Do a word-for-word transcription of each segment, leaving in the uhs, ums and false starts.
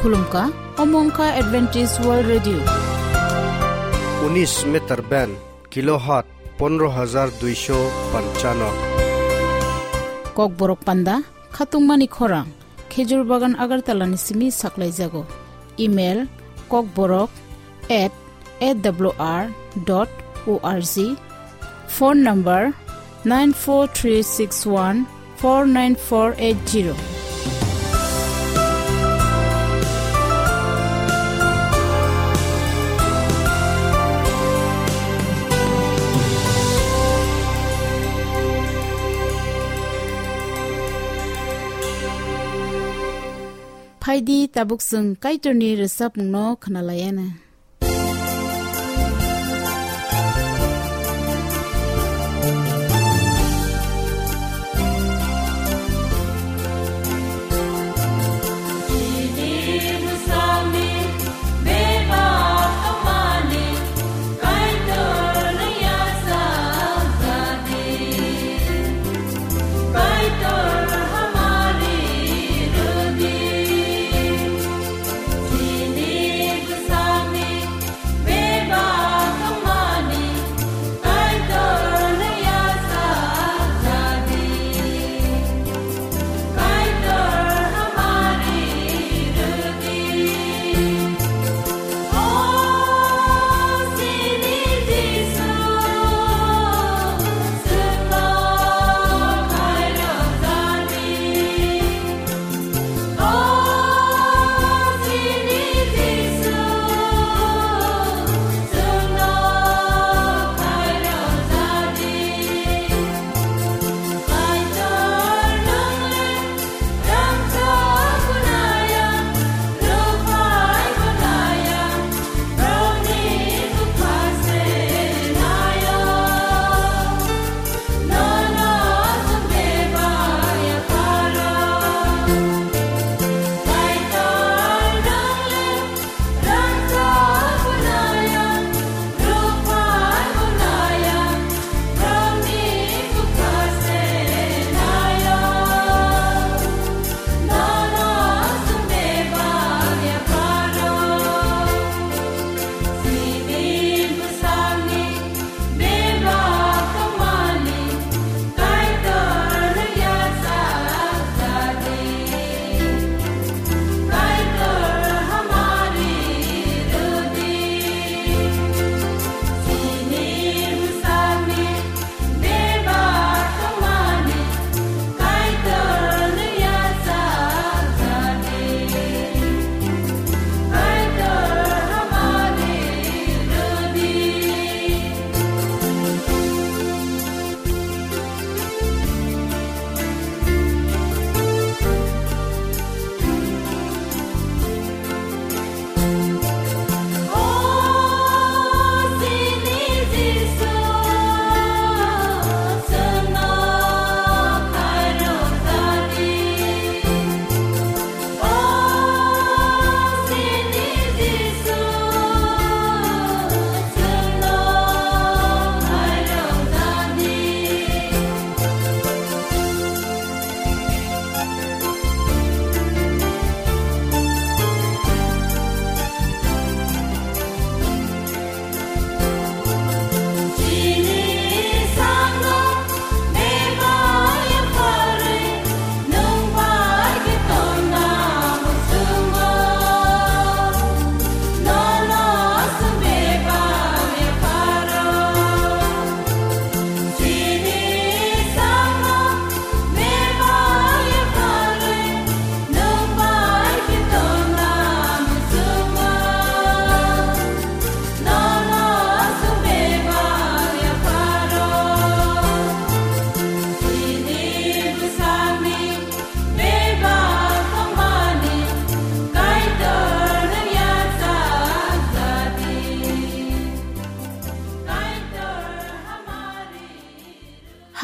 Khulumkha, omo wngkha Adventist World Radio. Unis meter band, kilohertz pondro hajar duisho panchano. Kokborok panda, khatungmani khorang, Khejur Bagan Agartala ni simi saklaijago. Email, kokborok at A W R dot O R G. Phone number nine four three six one four nine four eight zero. Phaidi tabuk chwng Kaitorni rwchapmungno khwnalaiana.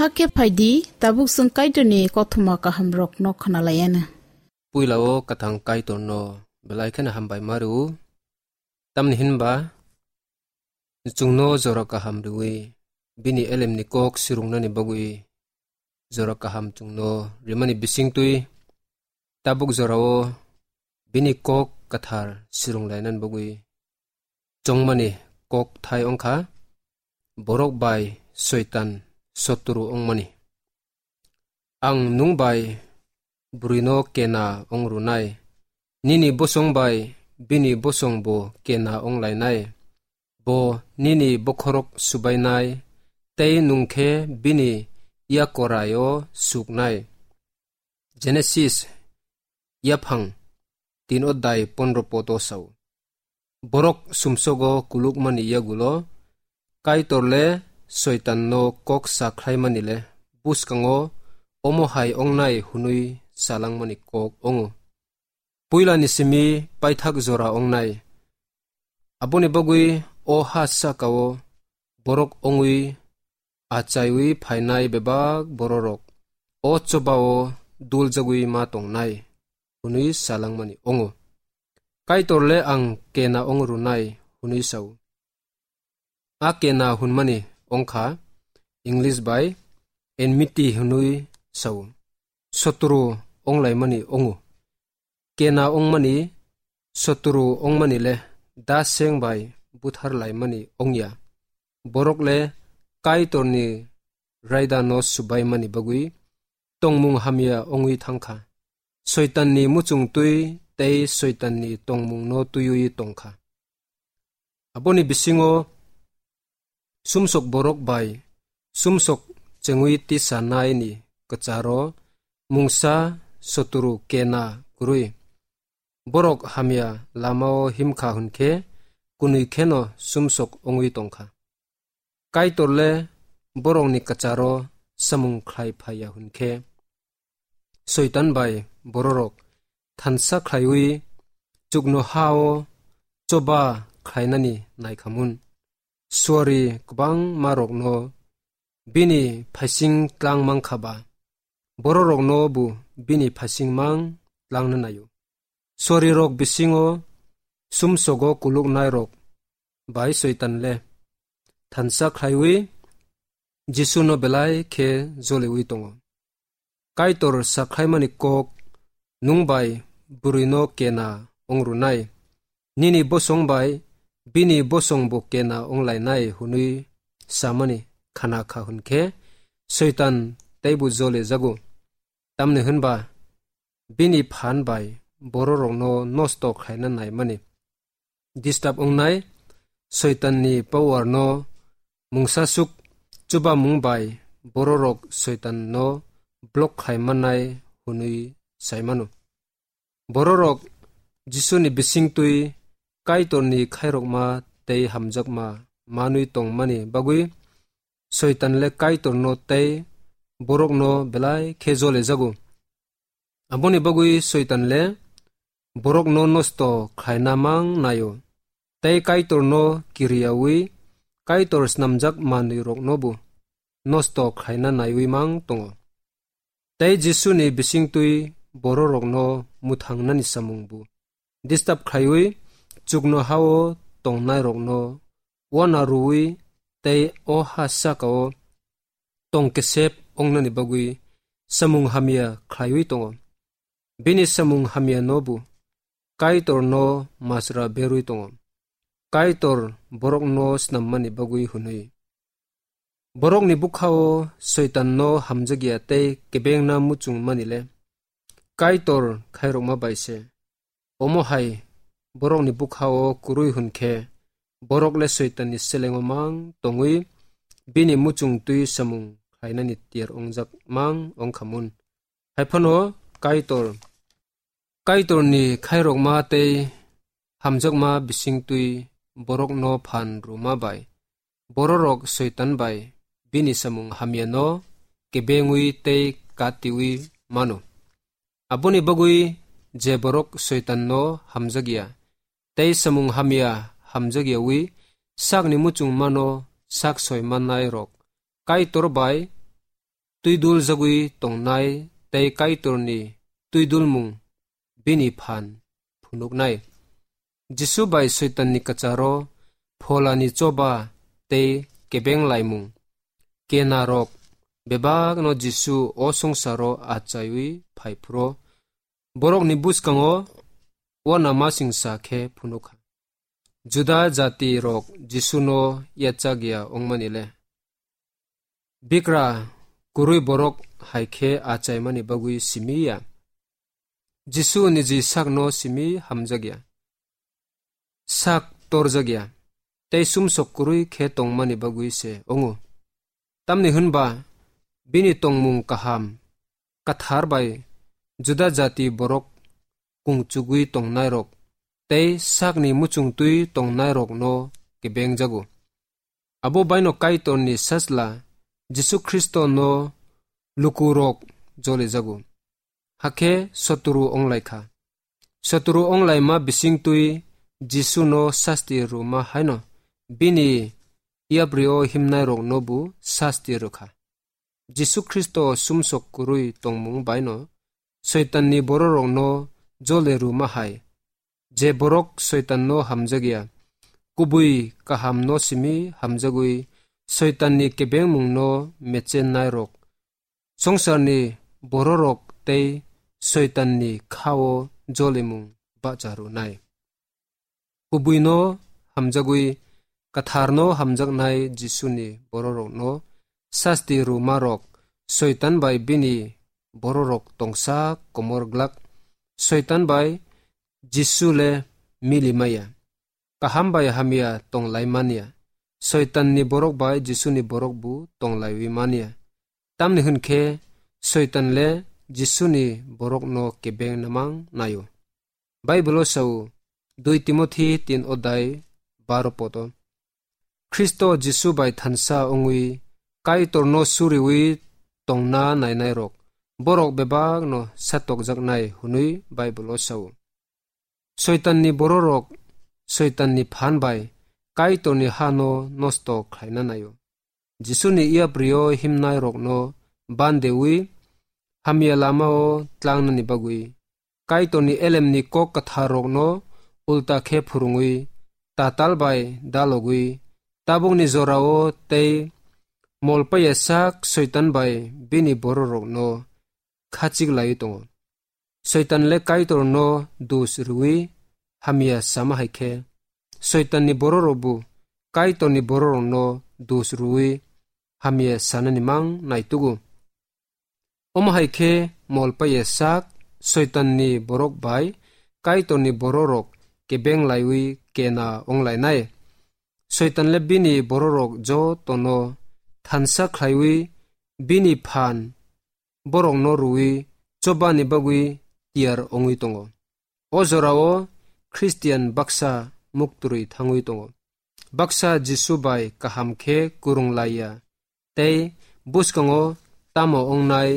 Hakhe phaidi, tabuk chwng Kaitorni kothoma kahamrokno khwnalaiana. Puila o kwthang Kaitorno belai kheno hambai ma rw-o. Tamni hinba chwngno jora kaham rwui bini elemni kok swrwngnani bagwi jora kaham chwngno rimani bisingtwi tabuk jorao bini kok kwthar sirung lainani bagwi chongmani kok thai wngkha, borok bai Soitan sotru wngmani. Ang nwng bai bwrwino kena wng rwnai, nini bosong bai bini bosong bo kena wng lainai. Bo nini bokhorok subainai, tei nwng khe bini yakorai-o suknai. Genesis yaphang tin odai pondro podo sao. Borok sumsogo kulukmani yagulo Kaitor le Soitanno kok sa khlaimani le bwskango omo hai wngnai hwnwi salangmani kok wngo. Puilani simi paithak jora wngnai. Aboni bagwi o ha sakao borok wngwi achaiwi phainai bebak bororok o chobao duljagwi ma tongnai hwnwi salangmani wngo. Kaitor le ang kena wng rwnai hwnwi sao. A kena hwnmani wngkha English bai enmity hwnwi sao. Sotru wnglaimani wngo. Kena wngmani, sotru wngmani le da seng bai buthar laimani wngya. Borok le Kaitorni raida no subaimani bagwi tongmung hamya wngwi thangkha. Soitanni muchung twi tei Soitanni tongmung no twiwi tongkha. Aboni bisingo sumsok borok bai sumsok chengwi tisa naini kwcharo mungsa sotru kena kwrwi. Borok hamya lamao himkha hwnkhe kwnwi kheno sumsok wngwi tongkha. Kaitor le borokni kwcharo samung khlai phaiya hwnkhe, Soitan bai bororok thansa khlaiwi chuknoha-o choba khlainani naikhamun. Suari kwbangmarokno bini phaising tlang mankha ba, bororokno bo bini phaising mang tlangna naio. Suarirok bisingo sumsogo kuluknairok bai Soitan le thansa khlaiwi Jisuno belai khe joliwi tongo. Kaitor sakhlaimani kok nwng bai bwrwino kena wng rwnai, nini bosong bai bini bosong bo kena wng lainai hwnwi samani khana kha hwnkhe, Soitan teibo jole jago. Tamni hwnba bini phan bai bororokno nosto khlaina naimani disturb wngnai, Soitanni power no mungsasuk chubamung bai bororok Soitan no block khlai mannai hwnwi sai mano. Bororok Jisuni bisingtwi Kaitorni khairokma tei hamjakma manwi tongmani bagwi Soitan le Kaitorno tei borokno belai khe jole jago. Aboni bagwi Soitan le borokno nosto khlaina mang naio, tei Kaitorno kiriyaui Kaitor snamjak manwiroknobo nosto khlaina naiwi mang tongo. Tei Jisuni bisingtwi bororokno mwthangnani samungbo disturb khlaiwi chuknoha-o tongnairokno uana rwui tei o ha sakao tong kesep wngnani bagwi samung hamya khlaiwi tongo. Bini samung hamyano bo Kaitorno masra berwi tongo, Kaitor borokno snammani bagwi hwnwi. Borokni bwkha-o Soitanno hamjakya tei kebengna muchung mani le Kaitor khairokma bai se. Omo hai borokni bwkha-o kwrwi hwn khe, borok le Soitanni selengo mang tongwi bini muchung twi samung khlainani tiyar wngjak mang wng kha mun. Hai phano Kaitor, Kaitorni khairokma tei hamjakma bisingtwi borokno phan rwma bai bororok Soitan bai bini samung hamyano kebengwi tei katiwi mano. Aboni bagwi je borok Soitanno hamjakya tei samung hamya hamjakyawi sakni muchung mano sak soi mannairok Kaitor bai twiduljagwi tongnai tei Kaitorni twidulmung bini phan phunuknai. Jisu bai Soitanni kwcharo pholani choba tei kebeng laimung kenarok bebakno Jisu o swngcharo achaiwi phai phuru borokni bwskango uanamasingcha khe phunukha. Juda jati rok Jisu no yachak ya wngmani le. Bikra kwrwi borok hai khe achaimani bagwi simi ya. Jisu niji sak no simi hamjak ya. Sak torjak ya. Tei sumsok kwrwi khe tongmani bagwi se wngo. Tamni hwnba bini tongmung kaham, kathar bai Juda jati borok kungchugwi tongnairok tei sakni muchungtwi tongnairokno kebengjago. Abo baino Kaitorni Sajla Jisu Khristono lukurok jolijago. Hakhe soturu wnglaikha. Soturu wnglaima bisingtwi Jisuno sasti rwma haino bini yaprio himnairoknobo sasti rwkha. Jisu Khristo sumsok kwrwi tongmung baino Soitanni bororokno jole rwma hai, je borok Soitanno hamjakya, kubui kahamno simi hamjagwi Soitanni kebengmungno mechennairok, songsarni bororok tei Soitanni khao jolimung bacha rwnai. Kubuino hamjagwi, katharno hamjaknai Jisuni bororokno sasti rwmarok Soitan bai bini bororok tongsa komor glak. Soitan bai Jisu le mili maya. Kaham bai hamya tong lai manya. Soitanni borok bai Jisuni borok bo tong laiwi manya. Tamni hwn khe Soitan le Jisuni borokno kebeng namang naio. Baibolo sao, dui Timothi tin odai baro poto, Khristo Jisu bai thansa wngwi Kaitorno suriwi tongna nainairok borok bebakno satokjaknai hwnwi Baibolo sao. Soitanni bororok Soitanni phan bai Kaitorni hano nosto khlaina naio. Jisuni yaprio himnairokno bandewi hamya lamao tlangnani bagwi, Kaitorni elemni kok kwtharrokno ulta khe phwrwngwi, tatal bai dalogwi, tabukni jorao tei molpaya sak Soitan bai bini bororokno khachik laiwi tongo. Soitan le Kaitorno dos rwui hamya sama hai khe, Soitanni bororokbo Kaitorni bororokno dos rwui hamya sanani mang naitugo. Omo hai khe molpaya sak Soitanni borok bai Kaitorni bororok kebeng laiwi kena wnglainai. Soitan le bini bororok jotono thansa khlaiwi bini phan borokno rwui chobani bagwi tiyar wngwi tongo. O jorao Khristian baksa muktrwi thangwi tongo. Baksa Jisu bai kaham khe kwrwng laiya tei bwskango tamo wngnai,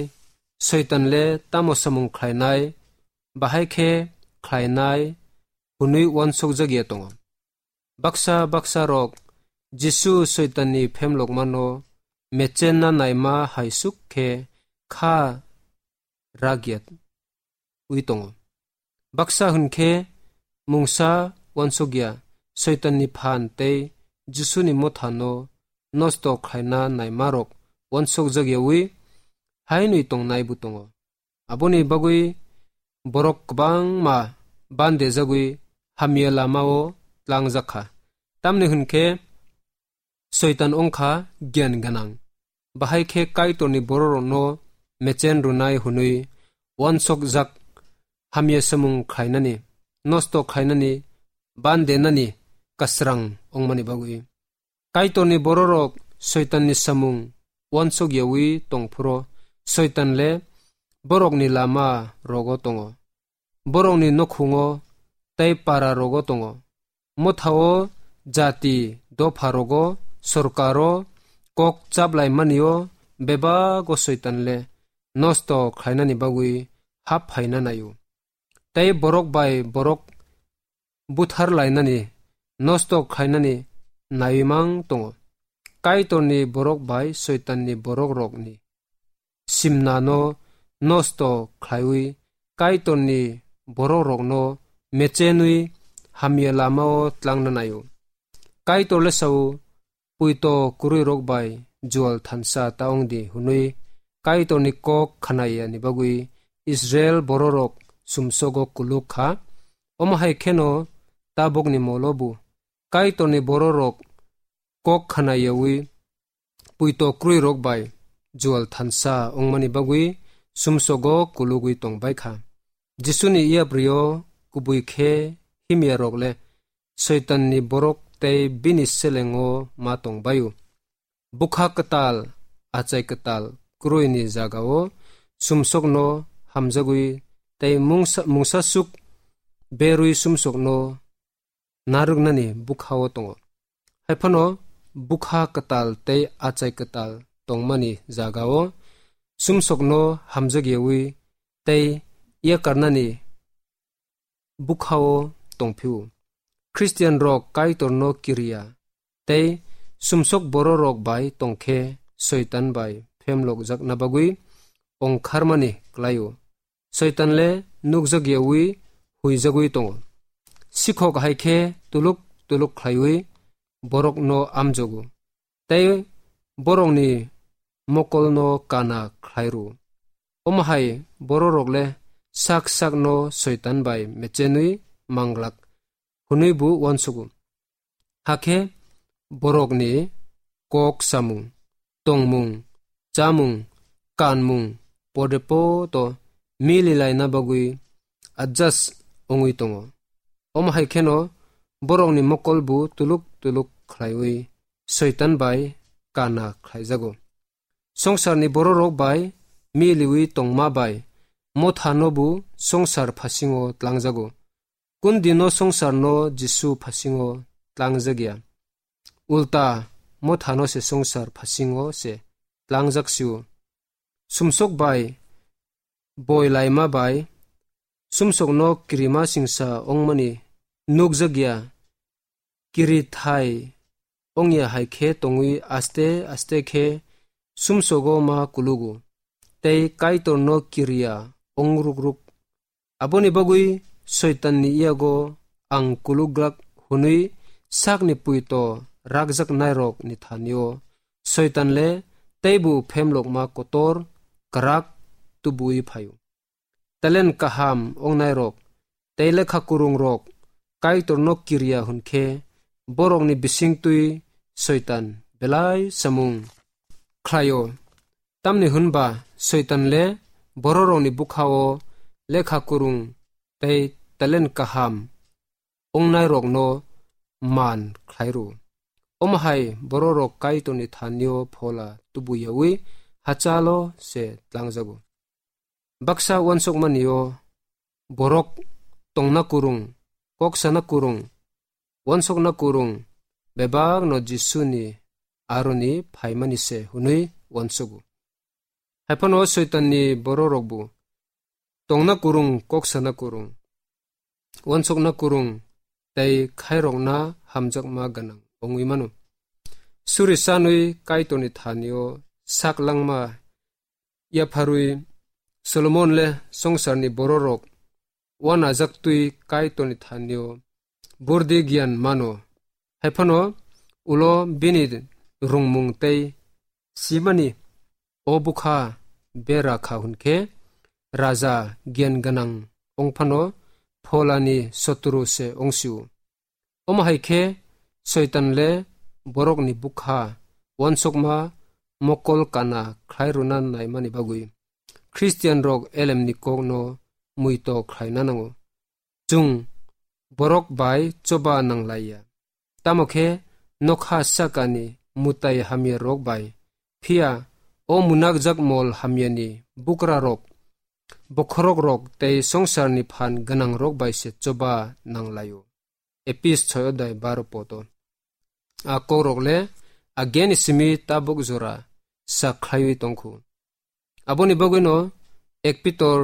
Soitan le tamo samung khlainai, bahai khe khlainai hwnwi uansukjakya tongo. Baksa baksa rok Jisu Soitanni phemlokmano mechenna naima hai suk khe kha ragyat wi tongo. Baksa hwn khe mungsa uansukya Soitanni phan tei Jisuni mothano nosto khlaina naimarok uansukjakyawi hainwi tongnaibo tongo. Aboni bagwi borok kwbangma bandejagwi hamya lamao tlangjak kha. Tamni hwn khe Soitan wng kha giyan gwnang. Bahai khe Kaitorni bororokno mechen rwnai hwnwi uansukjak hamya samung khlainani, nosto khlainani, bandenani kwsrang wngmani bagwi. Kaitorni bororok Soitanni samung uansukyawi tongphuru Soitan le borokni lama rogo tongo. Borokni nukhungo tei para rogo tongo. Mothao jati dopha rogo sorkaro kok chaplaimanio bebago Soitan le nosto khlainani bagwi hap phaina naio. Tei borok bai borok buthar lainani, nosto khlainani naiwi mang tongo. Kaitorni borok bai Soitanni borok rokni simnano nosto khlaiwi Kaitorni borok rokno mechenwi hamya lamao tlangna naio. Kaitor le sao, puito kwrwi rok bai jual thansa ta wng di hwnwi Kaitorni kok khnayani bagwi Israel bororok sumsogo kuluk kha. Omo hai kheno tabukni molo bo Kaitorni bororok kok khna yaui puito kwrwirok bai jual thansa wngmani bagwi sumsogo kulugwi tongbai kha. Jisuni yaprio kubui khe himyarok le Soitanni borok tei bini selengo ma tongbaio. Bwkha kwtal, achai kwtal kwrwini jagao sumsokno hamjagwi tei mungsa, mungsasuk berwi sumsokno narwknani bwkhao tongo. Haiphano bwkha kwtal tei achai kwtal tongmani jagao sumsokno hamjakyawi tei yakarnani bwkhao tongphio. Khristianrok Kaitorno kiriya tei sumsok bororok bai tongkhe Soitan bai phemlokjakna bagwi ongkharmani klaio. Soitan le nukjakyawi huijagwi tongo. Sikhok hai khe tuluk tuluk khlaiwi borokno amjogo tei borokni mokolno kana khlai rw-o. Omo hai bororok le sak sakno Soitan bai mechenwi manglak hwnwi bo uansugo. Hakhe borokni kok samung, tongmung, chamung, kanmung pode poto mili laina bagwi adjust wngwi tongo. Omo hai kheno borokni mokol bo tuluk tuluk khlaiwi Soitan bai kana khlaijago. Songsarni bororok bai miliwi tongma bai mothano bo songsar phasingo tlangjago. Kundino songsarno Jisu phasingo tlangjakya. Ulta mothano se songsar phasingo se tlangjaksio. Sumsok bai boi laima bai sumsokno kirima singsa wngmani nukjakya. Kiri thai wngya hai khe tongwi aste aste khe sumsogo ma kulugo tei Kaitorno kiriya wng ruk ruk. Aboni bagwi Soitanni yago ang kuluglak hwnwi sakni puito rakjaknairokni thanio Soitan le teibo phemlokma kotor kwrak tubuwi phaio. Talent kaham wngnairok tei lekha kwrwngrok Kaitorno kiriya hwn khe borokni bisingtwi Soitan belai samung khlaio. Tamni hwn ba Soitan le bororokni bwkhao lekha kwrwng tei talent kaham wngnairokno man khlai rw-o. Omo hai bororok Kaitorni thanio phola tubuyaui hachalo se tlangjago. Baksa uansukmani-o borok tongna kwrwng, kok sana kwrwng, uansukna kwrwng bebakno Jisuni aroni phaimani se hwnwi uansugo. Haiphano Soitanni bororokbo tongna kwrwng, kok sana kwrwng, uansukna kwrwng tei khairokna hamjakma gwnang wngwi mano. Suri sanwi Kaitorni thanio sak langma yapharwi Solomon le songsarni bororok uanajaktwi Kaitorni thanio burdi giyan mano. Haiphano ulo bini rwngmung tei simani o bwkha bera kha hwn khe raja giyan gwnang wngphano pholani sotru se wngsio. Omo hai khe Soitan le borokni bwkha uansukma mokol kana khlai rwna naimani bagwi Khristianrok elemni kokno muito khlaina nango. Chwng borok bai choba nanglaiya. Tamo khe nokha sakani mwtai hamyarok bai, phiya o munakjak mol hamyani bukrarok, bokhorokrok tei songsarni phan gwnangrok bai se choba nanglaio. Epis soi odai baro poto. A kokrok le a geni simi tabuk jora sak khlaiwi tongkhu. Aboni bagwino ek Pitor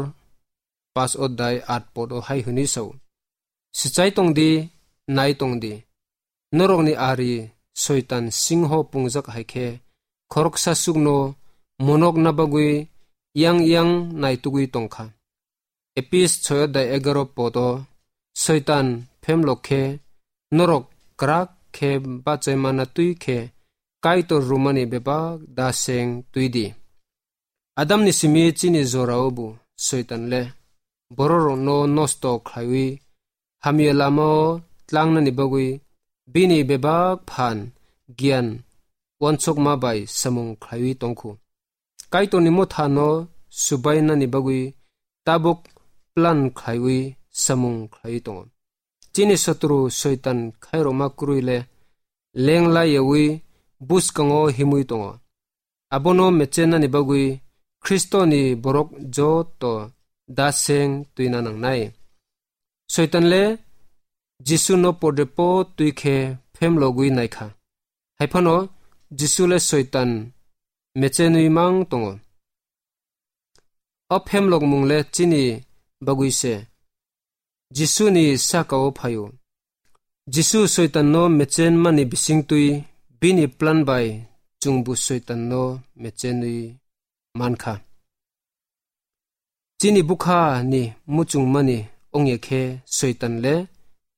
pas odai at poto hai hwnwi sao: Swchai tongdi, nai tongdi. Norokni ari Soitan singho pungjak hai khe khoroksa chukno monokna bagwi yang yang naitugwi tongkha. Epis soi odai egaro poto Soitan phemlok khe norok kwrak khe bachaimana twi khe Kaitor rwmani bebak da seng twi di. Adamni simi chini jorao bo Soitan le bororokno nosto khlaiwi hamya lama-o tlangnani bagwi bini bebak phan giyan uansukma bai samung khlaiwi tongkhu. Kaitorni motha no subainani bagwi tabuk plan khlaiwi samung khlaiwi tongo. Chini sotru Soitan khairokma kwrwi le leng laiyawi bwskango himwi tongo. Abono mechenani bagwi Khristoni borok joto da seng twina nangnai. Soitan le Jisu no podrepo twi khe phemlogwi naikha. Haiphano Jisu le Soitan mechenwi mang tongo. O phemlokmung le chini bagwi se Jisuni saka-o phaio. Jisu Soitanno mechenmani bisingtwi bini plan bai chwngbo Soitanno mechenwi mankha. Chini bwkha ni muchungmani ongya khe Soitan le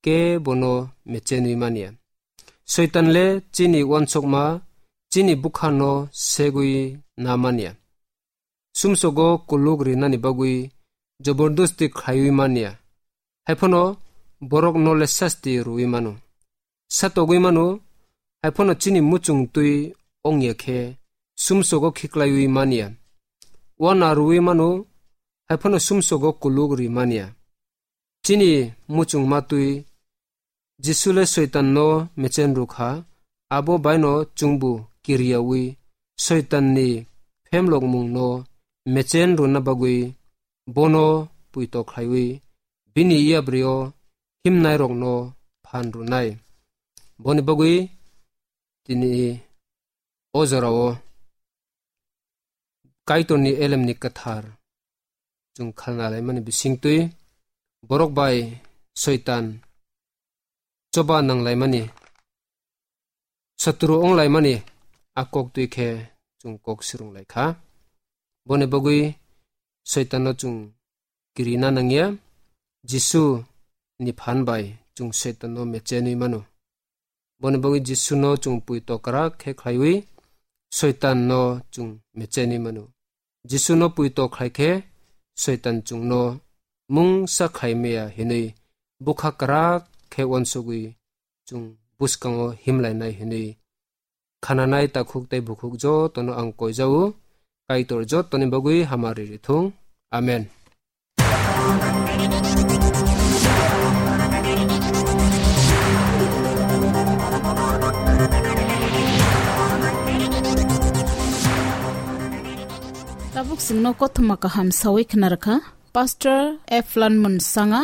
kebono mechenwi manya. Soitan le chini uansukma, chini bwkha no segwi na manya. Sumsogo kuluk rinani bagwi jobordosti khlaiwi manya. Haiphano borok no le sasti rwwi mano. Satogwi mano, haiphano chini muchung twi ongya khe sumsogo khiklaiwi manya. Uana rwwi mano, haiphano sumsogo kuluk ri manya. Chini muchungma twi Jisu le Soitan no mechen rwkha, abo baino chwngbo kiriyawi Soitan ni phemlokmung no mechen rwna bagwi bono puito khlaiwi bini yapri-o himnairokno phan rwnai. Boni bagwi tini o jorao Kaitorni elemni kwthar chwng khalna laimani bisingtwi borok bai Soitan choba nanglaimani, sotru wnglaimani a kok twi khe chwng kok swrwng lai kha. Boni bagwi Soitanno chwng kirina nangya, Jisu ni phan bai chwng Soitanno mechenwi mano. Boni bagwi Jisuno chwng puito kwrak khe khlaiwi Soitanno chwng mechenwi mano. Jisuno puito khlai khe Soitan chwngno mungsa khlai maya hinwi bwkha kwrak khe uansugwi chwng bwskango himlainai hinwi khananai takhuk tei bukhuk jotono ang koijao. Kaitor jotoni bagwi hamari rithung. Amen. Tabuk chwngno kothoma kaham sawi khna rwkha Pastor Eflan Munsanga.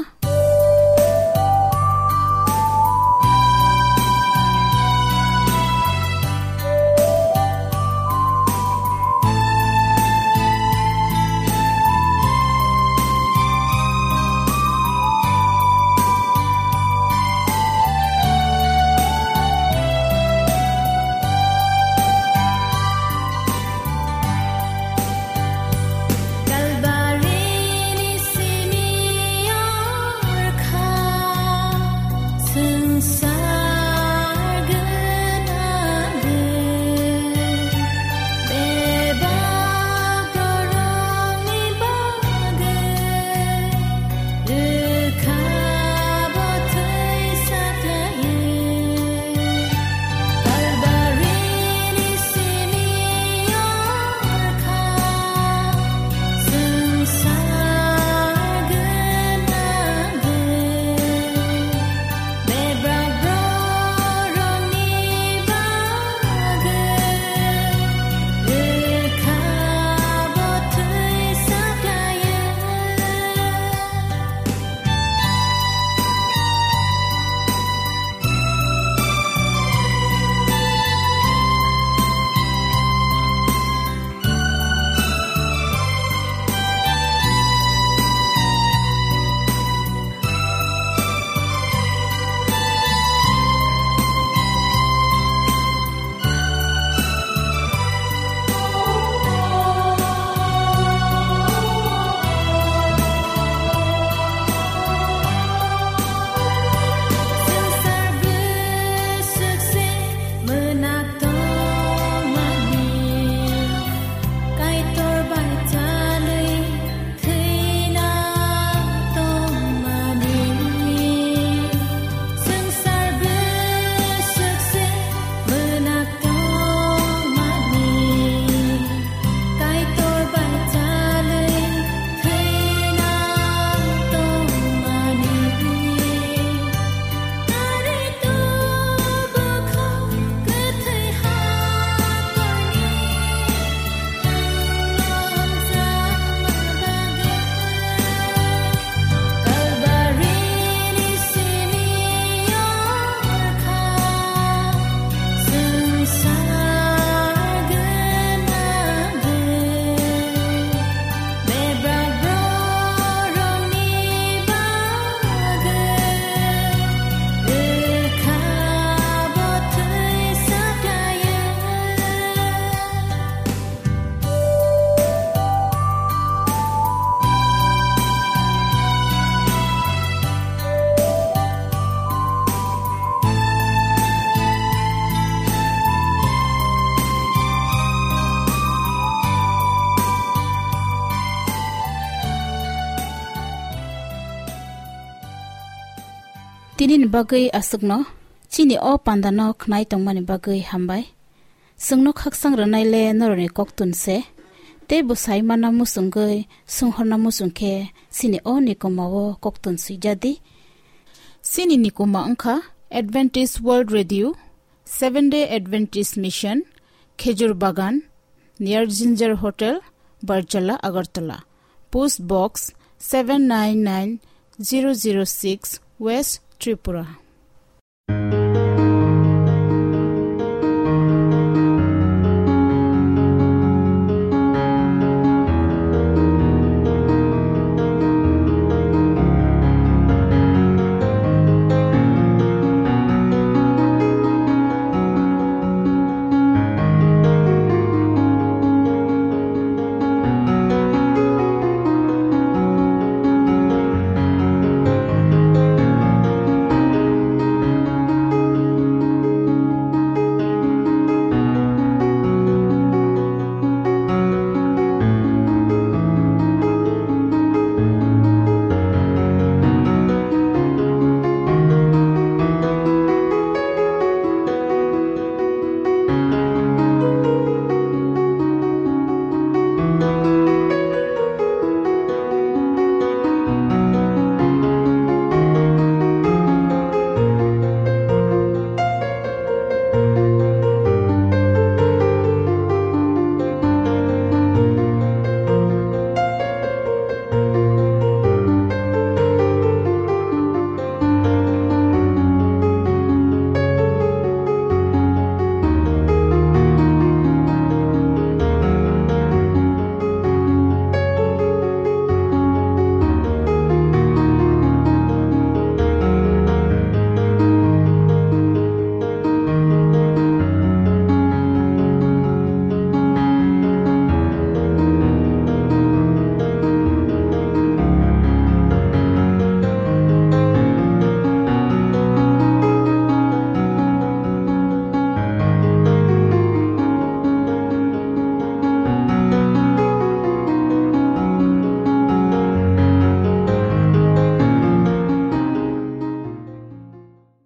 Nini bagwi aswkno chini o pandano khnai tongmani bagwi hambai. Chwngno khaksang rwnaile norokni koktun se, tei bo sai manna muchungwi, swnghorna muchung khe chini o nikoma o koktun swijadi. Chini nikoma wngkha Adventist World Radio, Seventh Day Adventist Mission, Khejur Bagan, near Ginger Hotel, Barjala, Agartala. Post Box seven nine nine zero zero six, West Tripura.